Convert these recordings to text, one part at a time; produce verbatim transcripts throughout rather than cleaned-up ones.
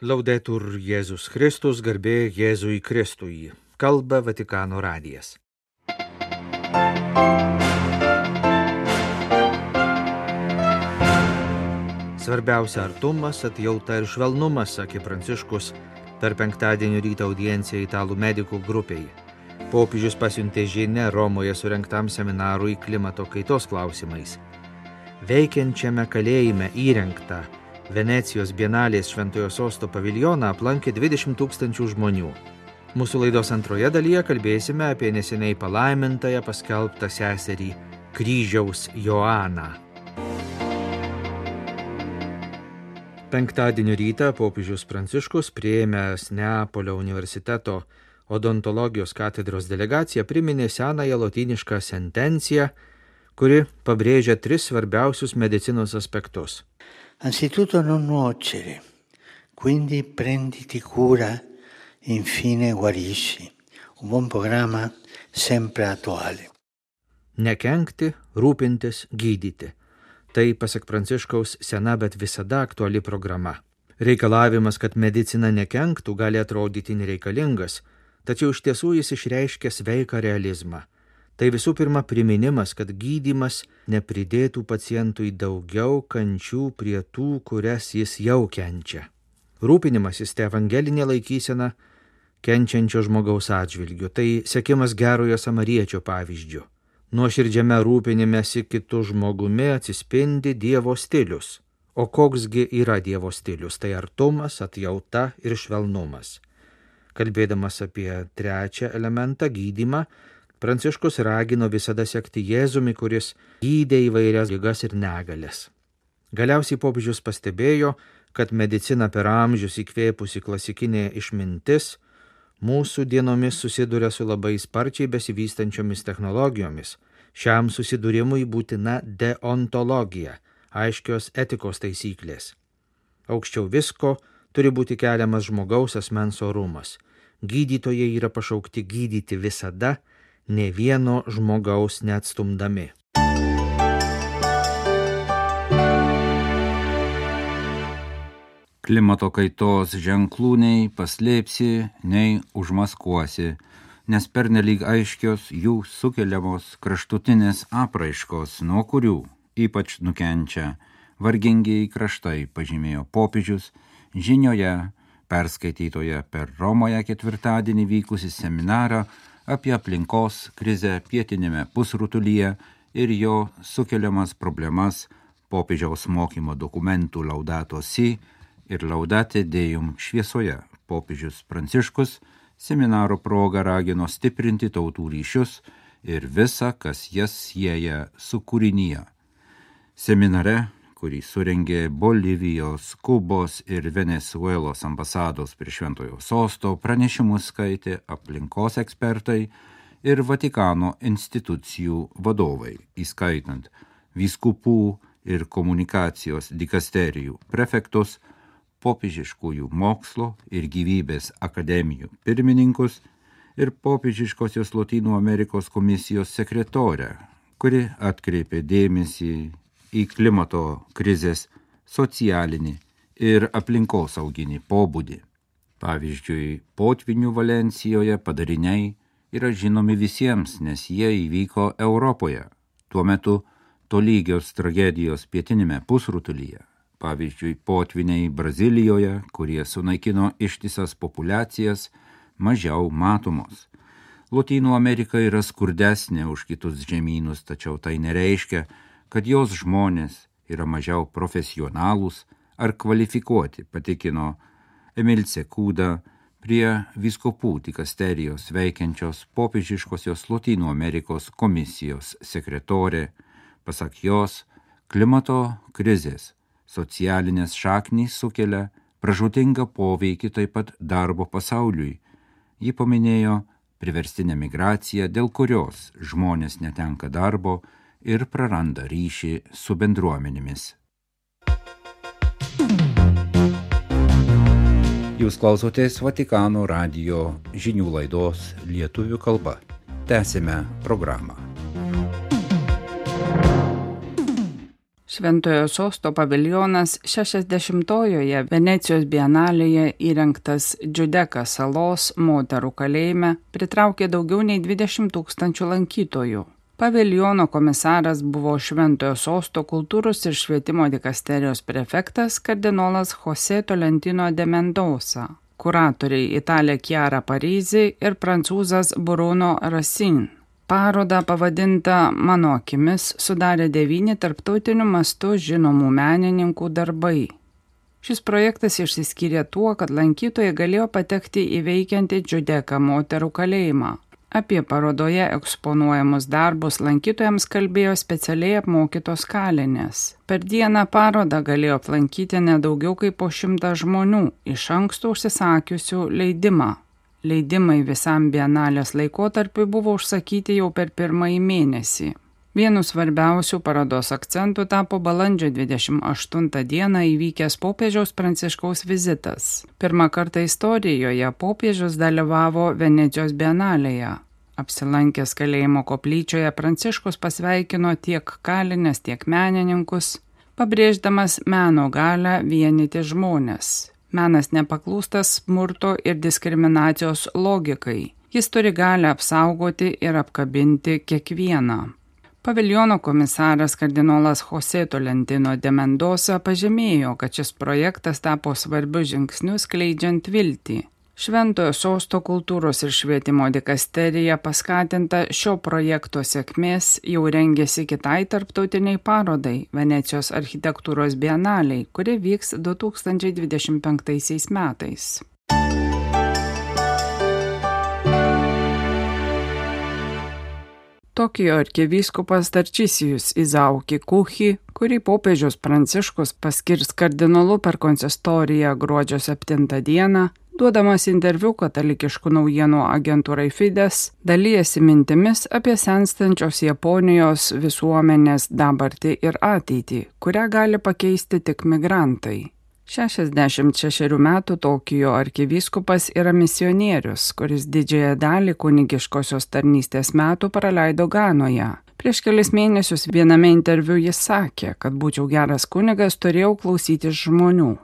Laudetur Jėzus Kristus, garbė Jėzui Kristui. Kalba Vatikano radijas. Svarbiausia artumas, atjauta ir švelnumas, sakė Pranciškus per penktadienio ryto audienciją italų medikų grupiai. Popiežius pasiuntė žinią Romoje surengtam seminarui klimato kaitos klausimais. Veikiančiame kalėjime įrengtą Venecijos bienalės Šventojo Sosto paviljoną aplankė dvidešimt tūkstančių žmonių. Mūsų laidos antroje dalyje kalbėsime apie neseniai palaimintąją paskelbtą seserį Kryžiaus Joaną. Penktadienio rytą popiežius Pranciškus, priėmęs Neapolio universiteto odontologijos katedros delegaciją, priminė senąją lotynišką sentenciją, kuri pabrėžia tris svarbiausius medicinos aspektus. Anzitutto non nuocere, quindi prenditi cura, infine guarisci. Un buon programma sempre attuale. Nekenkti, rūpintis, gydyti. Tai, pasak Pranciškaus, sena, bet visada aktuali programa. Reikalavimas, kad medicina nekenktų, gali atrodyti nereikalingas, tačiau iš tiesų jis išreiškia sveiką realizmą. Tai visų pirma priminimas, kad gydymas nepridėtų pacientui daugiau kančių prie tų, kurias jis jau kenčia. Rūpinimasis tai evangelinė laikysena kenčiančio žmogaus atžvilgiu. Tai sekimas gerojo samariečio pavyzdžiu. Nuoširdžiame rūpinimesi kitų žmogumi atsispindi Dievo stilius. O koksgi yra Dievo stilius? Tai artumas, atjauta ir švelnumas. Kalbėdamas apie trečią elementą, gydymą, Pranciškus ragino visada sekti Jėzumi, kuris gydė įvairias ligas ir negalias. Galiausiai popiežius pastebėjo, kad medicina per amžius įkvėpusi klasikinė išmintis mūsų dienomis susiduria su labai sparčiai besivystančiomis technologijomis. Šiam susidūrimui būtina deontologija, aiškios etikos taisyklės. Aukščiau visko turi būti keliamas žmogaus asmens orumas. Gydytojai yra pašaukti gydyti visada, ne vieno žmogaus neatstumdami. Klimato kaitos ženklų nei paslėpsi, nei užmaskuosi, nes pernelyg aiškios jų sukeliamos kraštutinės apraiškos, nuo kurių ypač nukenčia vargingieji kraštai, pažymėjo popiežius žinioje perskaitytoje per Romoje ketvirtadienį vykusį seminarą apie aplinkos krizę pietiniame pusrutulyje ir jo sukeliamas problemas popiežiaus mokymo dokumentų Laudato Si ir Laudate Deum šviesoje. Popiežius Pranciškus seminaro proga ragino stiprinti tautų ryšius ir visa, kas jas sieja su kūrinyje. Seminare, kurį surengė Bolivijos, Kubos ir Venezuelos ambasados prie Šventojo Sosto, pranešimus skaitė aplinkos ekspertai ir Vatikano institucijų vadovai, įskaitant vyskupų ir komunikacijos dikasterijų prefektus, popiežiškųjų mokslo ir gyvybės akademijų pirmininkus ir popiežiškosios Lotynų Amerikos komisijos sekretorę, kuri atkreipė dėmesį į klimato krizės socialinį ir aplinkosauginį pobūdį. Pavyzdžiui, potvynių Valencijoje padariniai yra žinomi visiems, nes jie įvyko Europoje. Tuo metu tolygios tragedijos pietinėme pusrutulyje, pavyzdžiui, potvyniai Brazilijoje, kurie sunaikino ištisas populiacijas, mažiau matomos. Lotynų Amerika yra skurdesnė už kitus žemynus, tačiau tai nereiškia, kad jos žmonės yra mažiau profesionalūs ar kvalifikuoti, patikino Emilce Kūda prie vyskupų dikasterijos veikiančios popiežiškosios Lotynų Amerikos komisijos sekretorė. Pasak jos, klimato krizės socialinės šaknys sukelia pražūtingą poveikį taip pat darbo pasauliui. Ji paminėjo priverstinę migraciją, dėl kurios žmonės netenka darbo ir praranda ryšį su bendruomenėmis. Jūs klausotės Vatikano radijo žinių laidos lietuvių kalba. Tęsime programą. Šventojo Sosto paviljonas šešiasdešimtojoje Venecijos bienalėje įrengtas Džiudeka salos moterų kalėjime pritraukė daugiau nei dvidešimt tūkstančių lankytojų. Paviljono komisaras buvo Šventojo Sosto kultūros ir švietimo dikasterijos prefektas kardinolas José Tolentino de Mendoza, kuratoriai Italė Chiara Parisi ir prancūzas Bruno Racine. Parodą pavadintą Mano akimis sudarė devyni tarptautiniu mastu žinomų menininkų darbai. Šis projektas išsiskyrė tuo, kad lankytojai galėjo patekti į veikiantį Džiudeka moterų kalėjimą. Apie parodoje eksponuojamus darbus lankytojams kalbėjo specialiai apmokytos kalinės. Per dieną parodą galėjo aplankyti nedaugiau kaip po šimtą žmonių, iš anksto užsisakiusių leidimą. Leidimai visam bienalės laikotarpiui buvo užsakyti jau per pirmąjį mėnesį. Vienu svarbiausių parodos akcentų tapo balandžio dvidešimt aštuntą dieną įvykęs popiežiaus Pranciškaus vizitas. Pirmą kartą istorijoje popiežius dalyvavo Venecijos bienalėje. Apsilankęs kalėjimo koplyčioje Pranciškus pasveikino tiek kalines, tiek menininkus, pabrėždamas meno galią vienyti žmones. Menas nepaklūstas smurto ir diskriminacijos logikai. Jis turi galią apsaugoti ir apkabinti kiekvieną. Paviljono komisaras kardinolas José Tolentino de Mendoza pažymėjo, kad šis projektas tapo svarbiu žingsniu skleidžiant viltį. Šventojo Sosto kultūros ir švietimo dikasterija paskatinta šio projekto sėkmės jau rengėsi kitai tarptautiniai parodai Venecijos architektūros bienaliai, kuri vyks du tūkstančiai dvidešimt penktaisiais metais. Tokijo arkivyskupas Tarčisijus Izauki Kuchi, kurį popiežius Pranciškus paskirs kardinolu per konsistoriją gruodžio septintą dieną, duodamas interviu katalikiškų naujienų agentūrai Fides, dalijasi mintimis apie senstančios Japonijos visuomenės dabartį ir ateitį, kurią gali pakeisti tik migrantai. šešiasdešimt šešerių metų Tokijo arkivyskupas yra misionierius, kuris didžiąją dalį kunigiškosios tarnystės metų praleido Ganoje. Prieš kelis mėnesius viename interviu jis sakė, kad būčiau geras kunigas, turėjau klausytis žmonių.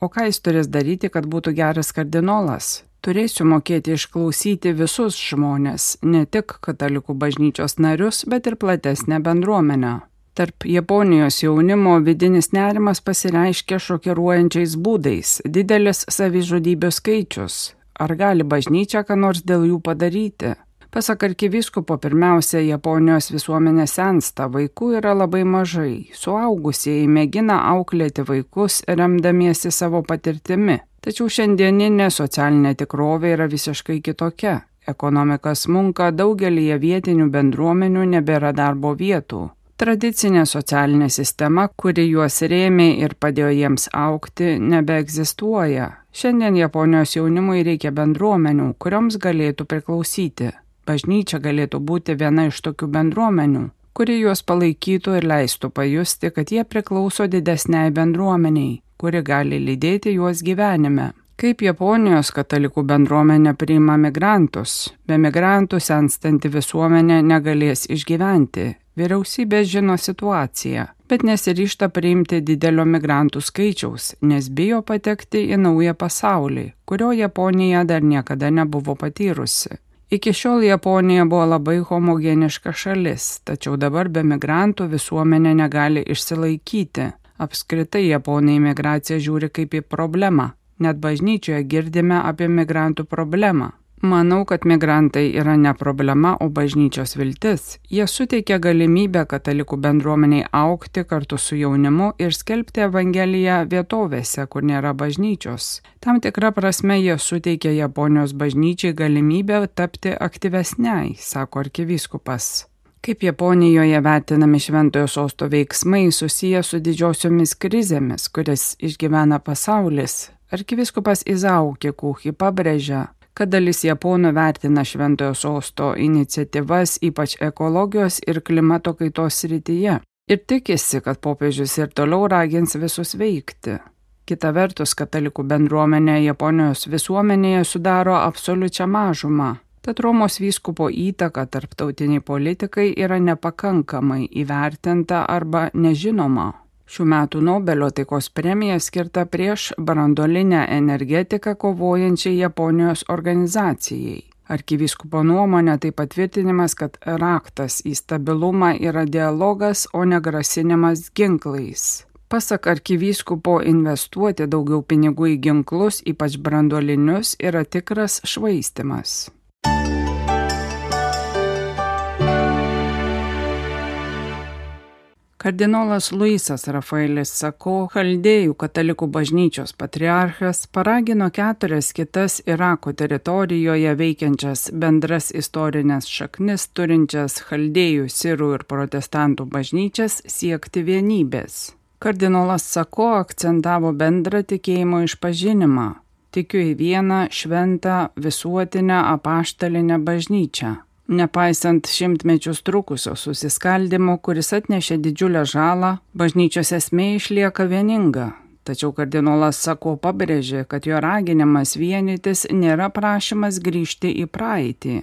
O ką jis turės daryti, kad būtų geras kardinolas? Turėsiu mokėti išklausyti visus žmonės, ne tik katalikų bažnyčios narius, bet ir platesnę bendruomenę. Tarp Japonijos jaunimo vidinis nerimas pasireiškia šokiruojančiais būdais, didelis savižudybių skaičius. Ar gali bažnyčia ką nors dėl jų padaryti? Pasak arkivyskupo, pirmiausia, Japonijos visuomenė sensta, vaikų yra labai mažai. Suaugusieji mėgina auklėti vaikus, remdamiesi savo patirtimi. Tačiau šiandieninė socialinė tikrovė yra visiškai kitokia. Ekonomika smunka, daugelįje vietinių bendruomenių nebėra darbo vietų. Tradicinė socialinė sistema, kuri juos rėmė ir padėjo jiems augti, nebeegzistuoja. Šiandien Japonijos jaunimui reikia bendruomenių, kurioms galėtų priklausyti. Bažnyčia galėtų būti viena iš tokių bendruomenių, kuri juos palaikytų ir leistų pajusti, kad jie priklauso didesniai bendruomeniai, kuri gali lydėti juos gyvenime. Kaip Japonijos katalikų bendruomenė priima migrantus? Be migrantų senstanti visuomenė negalės išgyventi. Vyriausybė žino situaciją, bet nesiryžta priimti didelio migrantų skaičiaus, nes bijo patekti į naują pasaulį, kurio Japonija dar niekada nebuvo patyrusi. Iki šiol Japonija buvo labai homogeniška šalis, tačiau dabar be migrantų visuomenė negali išsilaikyti. Apskritai Japonai migraciją žiūri kaip į problemą. Net bažnyčioje girdime apie migrantų problemą. Manau, kad migrantai yra ne problema, o bažnyčios viltis. Jie suteikia galimybę katalikų bendruomeniai augti kartu su jaunimu ir skelbti evangeliją vietovėse, kur nėra bažnyčios. Tam tikra prasme jie suteikia Japonijos bažnyčiai galimybę tapti aktyvesniai, sako arkivyskupas. Kaip Japonijoje vertinami Šventojo Sosto veiksmai susiję su didžiosiomis krizėmis, kurias išgyvena pasaulis, arkivyskupas Izauki Kuchi pabrėžia, kad dalis japonų vertina Šventojo Sosto iniciatyvas, ypač ekologijos ir klimato kaitos srityje, ir tikisi, kad popiežius ir toliau ragins visus veikti. Kita vertus, katalikų bendruomenė Japonijos visuomenėje sudaro absoliučią mažumą, tad Romos vyskupo įtaka tarptautiniai politikai yra nepakankamai įvertinta arba nežinoma. Šių metų Nobelio taikos premija skirta prieš branduolinę energetiką kovojančiai Japonijos organizacijai. Arkivyskupo nuomonė tai patvirtinimas, kad raktas į stabilumą yra dialogas, o ne grasinimas ginklais. Pasak arkivyskupo, investuoti daugiau pinigų į ginklus, ypač branduolinius, yra tikras švaistymas. Kardinolas Luisas Rafaelis Sako, Chaldėjų katalikų bažnyčios patriarchas, paragino keturias kitas Irako teritorijoje veikiančias bendras istorinės šaknis turinčias Chaldėjų, sirų ir protestantų bažnyčias siekti vienybės. Kardinolas Sako akcentavo bendrą tikėjimo išpažinimą. Tikiu į vieną šventą visuotinę apaštalinę bažnyčią. Nepaisant šimtmečius trukusio susiskaldimo, kuris atnešė didžiulę žalą, bažnyčios esmė išlieka vieninga. Tačiau kardinolas Sako pabrėžė, kad jo raginimas vienytis nėra prašymas grįžti į praeitį.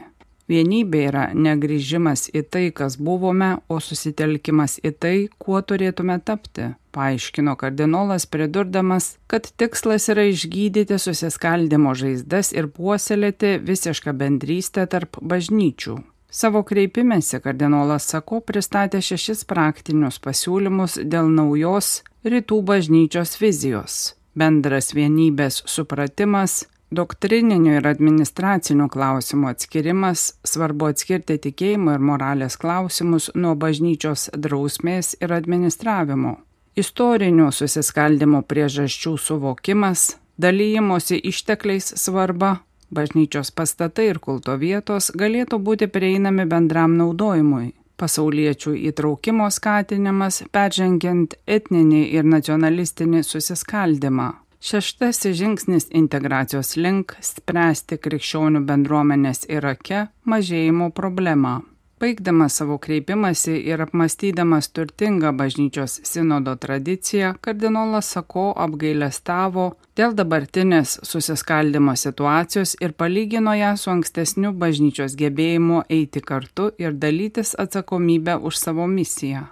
Vienybė yra negrįžimas į tai, kas buvome, o susitelkimas į tai, kuo turėtume tapti, paaiškino kardinolas, pridurdamas, kad tikslas yra išgydyti susiskaldimo žaizdas ir puoselėti visišką bendrystę tarp bažnyčių. Savo kreipimėsi kardinolas Sako pristatė šešis praktinius pasiūlymus dėl naujos rytų bažnyčios vizijos. Bendras vienybės supratimas, doktrininių ir administracinių klausimų atskirimas, svarbu atskirti tikėjimo ir moralės klausimus nuo bažnyčios drausmės ir administravimo, istorinių susiskaldimo priežasčių suvokimas, dalyjimosi ištekliais svarba, bažnyčios pastatai ir kulto vietos galėtų būti prieinami bendram naudojimui, pasauliečių įtraukimo skatinimas, peržengiant etninį ir nacionalistinį susiskaldimą. Šeštasis žingsnis integracijos link spręsti krikščionių bendruomenės Irake mažėjimo problemą. Baigdamas savo kreipimąsi ir apmąstydamas turtingą bažnyčios sinodo tradiciją, kardinolas Sako apgailestavo dėl dabartinės susiskaldimo situacijos ir palygino ją su ankstesniu bažnyčios gebėjimu eiti kartu ir dalytis atsakomybę už savo misiją.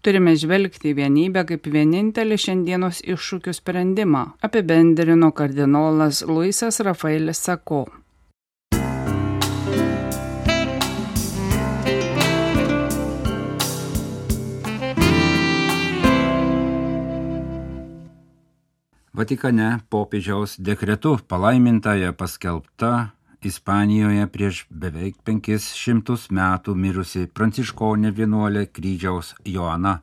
Turime žvelgti į vienybę kaip vienintelį šiandienos iššūkių sprendimą, apibendrino kardinolas Luisas Rafaelis Sako. Vatikane popiežiaus dekretu palaimintąją paskelbta Ispanijoje prieš beveik penkis šimtus metų mirusi pranciškonė vienuolė kryžiaus Joana.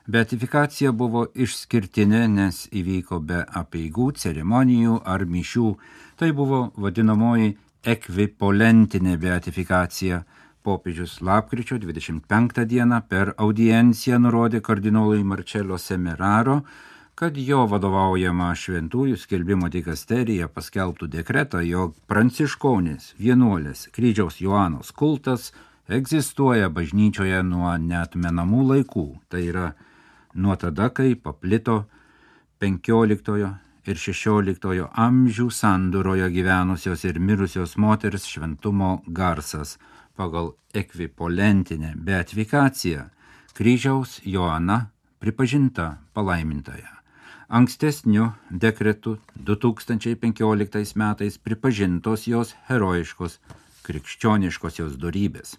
Beatifikacija buvo išskirtinė, nes įvyko be apeigų, ceremonijų ar mišių. Tai buvo vadinamoji ekvipolentinė beatifikacija. Popiežius lapkričio dvidešimt penktą dieną per audienciją nurodė kardinolui Marcello Semeraro, kad jo vadovaujama šventųjų skelbimo dikasterija paskelbtų dekretą, jog pranciškonės vienuolės kryžiaus Joanos kultas egzistuoja bažnyčioje nuo neatmenamų laikų. Tai yra nuo tada, kai paplito penkioliktojo ir šešioliktojo amžių sandūroje gyvenusios ir mirusios moters šventumo garsas. Pagal ekvipolentinę beatifikaciją kryžiaus Joana pripažinta palaimintaja. Ankstesniu dekretu du tūkstančiai penkioliktais metais pripažintos jos herojiškos krikščioniškosios dorybės.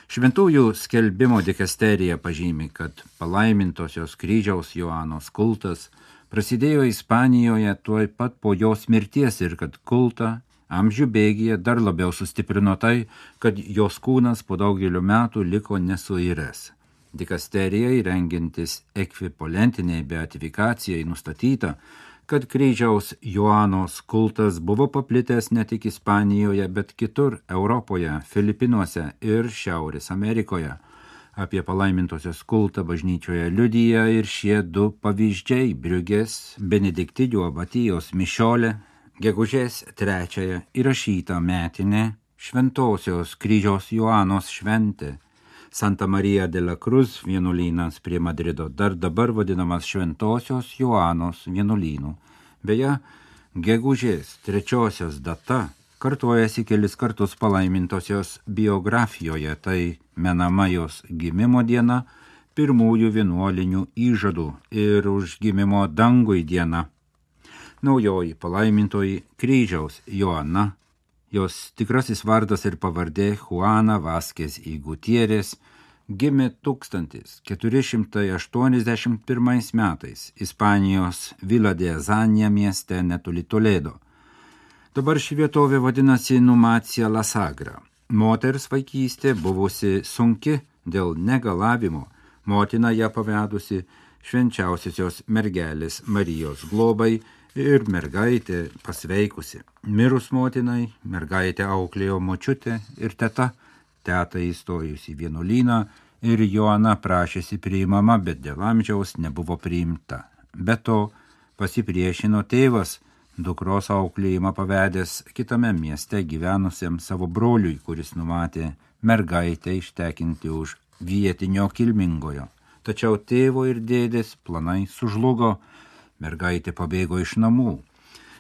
Šventųjų skelbimo dikasterija pažymi, kad palaimintosios kryžiaus Joanos kultas prasidėjo Ispanijoje tuoj pat po jos mirties ir kad kultą amžių bėgyje dar labiau sustiprino tai, kad jos kūnas po daugelio metų liko nesuiręs. Dikasterijai rengiantis ekvipolintiniai beatifikacijai nustatyta, kad kryžiaus Joanos kultas buvo paplitęs ne tik Ispanijoje, bet kitur Europoje, Filipinuose ir Šiaurės Amerikoje. Apie palaimintosios kultą bažnyčioje liudija ir šie du pavyzdžiai Briugės Benediktinių abatijos mišiolė, gegužės trečiąją įrašyta metinė šventosios kryžiaus Joanos šventė. Santa Maria de la Cruz vienuolynas prie Madrido, dar dabar vadinamas Šventosios Joanos vienuolynu. Beje, gegužės trečiosios data kartojasi kelis kartus palaimintosios biografijoje, tai menama jos gimimo diena, pirmųjų vienuolinių įžadų ir užgimimo dangui diena. Naujoji palaimintoji kryžiaus Joana, jos tikrasis vardas ir pavardė Juana Vázquez y Gutiérrez, gimė tūkstantis keturi šimtai aštuoniasdešimt pirmais metais Ispanijos Vila de Azania mieste netoli Toledo. Dabar ši vietovė vadinasi Numancia la Sagra. Moters vaikystė buvusi sunki dėl negalavimo, motina ją pavedusi švenčiausiosios mergelės Marijos globai ir mergaitė pasveikusi. Mirus motinai, mergaitė auklėjo močiutė ir teta, teta įstojusi į vienuolyną ir Joana prašėsi priimama, bet dėl amžiaus nebuvo priimta. Be to pasipriešino tėvas, dukros auklėjimą pavedęs kitame mieste gyvenusiam savo broliui, kuris numatė mergaitę ištekinti už vietinio kilmingojo. Tačiau tėvo ir dėdės planai sužlugo, mergaitė pabėgo iš namų.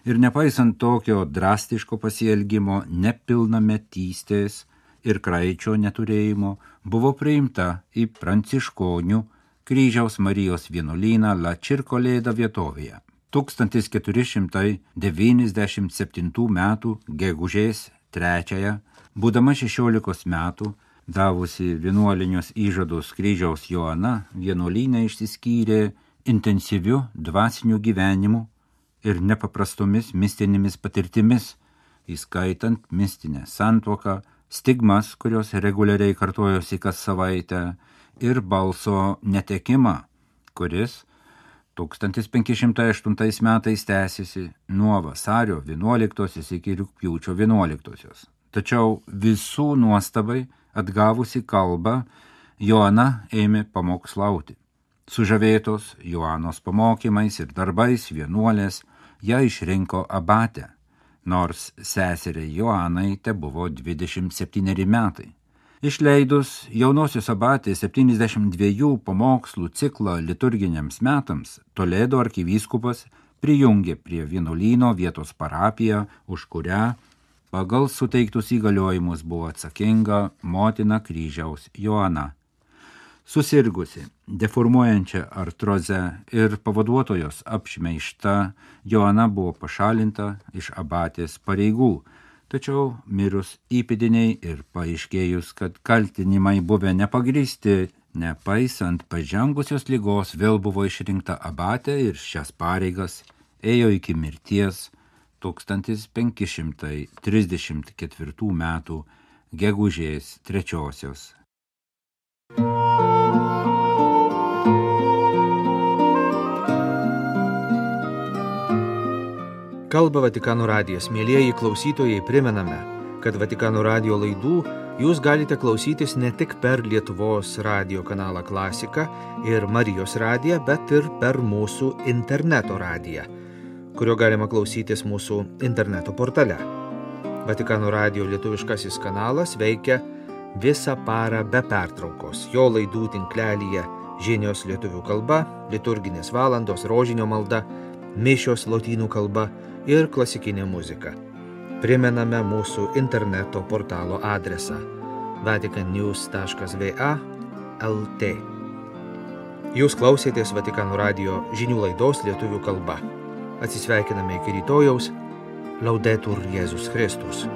Ir nepaisant tokio drastiško pasielgimo, nepilnametystės ir kraičio neturėjimo, buvo priimta į pranciškonių Kryžiaus Marijos vienuolyną La Circoleda vietovėje. tūkstantis keturi šimtai devyniasdešimt septintų metų gegužės trečiąją, būdama šešiolikos metų, davusi vienuolinius įžadus Kryžiaus Joana, vienuolyne išsiskyrė intensyviu dvasiniu gyvenimu ir nepaprastomis mistinėmis patirtimis, įskaitant mistinę santuoką, stigmas, kurios reguliariai kartojosi kas savaitę, ir balso netekimą, kuris tūkstantis penki šimtai aštuntais metais tęsiasi nuo vasario vienuoliktosios iki rugpjūčio vienuoliktosios. Tačiau visų nuostabai atgavusi kalbą, Joana ėmė pamokslauti. Sužavėtos Joanos pamokymais ir darbais vienuolės ją išrinko abatę, nors seseriai Joanai te buvo dvidešimt septyneri metai. Išleidus jaunosios abatės septyniasdešimt dviejų pamokslų ciklą liturginiams metams, Toledo arkivyskupas prijungė prie vienuolyno vietos parapiją, už kurią pagal suteiktus įgaliojimus buvo atsakinga motina Kryžiaus Joana. Susirgusi deformuojančią artrozę ir pavaduotojos apšmeižta, Joana buvo pašalinta iš abatės pareigų, tačiau mirus įpėdiniai ir paaiškėjus, kad kaltinimai buvę nepagrįsti, nepaisant pažengusios ligos, vėl buvo išrinkta abatė ir šias pareigas ėjo iki mirties tūkstantis penki šimtai trisdešimt ketvirtų metų gegužės trečiosios. Kalba Vatikano radijas. Mielieji klausytojai, primename, kad Vatikano radijo laidų jūs galite klausytis ne tik per Lietuvos radijo kanalą Klasika ir Marijos radiją, bet ir per mūsų interneto radiją, kurio galima klausytis mūsų interneto portale. Vatikano radijo lietuviškasis kanalas veikia visą parą be pertraukos. Jo laidų tinklelyje žinios lietuvių kalba, liturginės valandos, rožinio malda, mišios lotynų kalba ir klasikinė muzika. Primename mūsų interneto portalo adresą vatican news taškas v a taškas l t. Jūs klausėtės Vatikano radijo žinių laidos lietuvių kalba. Atsisveikiname iki rytojaus. Laudetur Jėzus Kristus.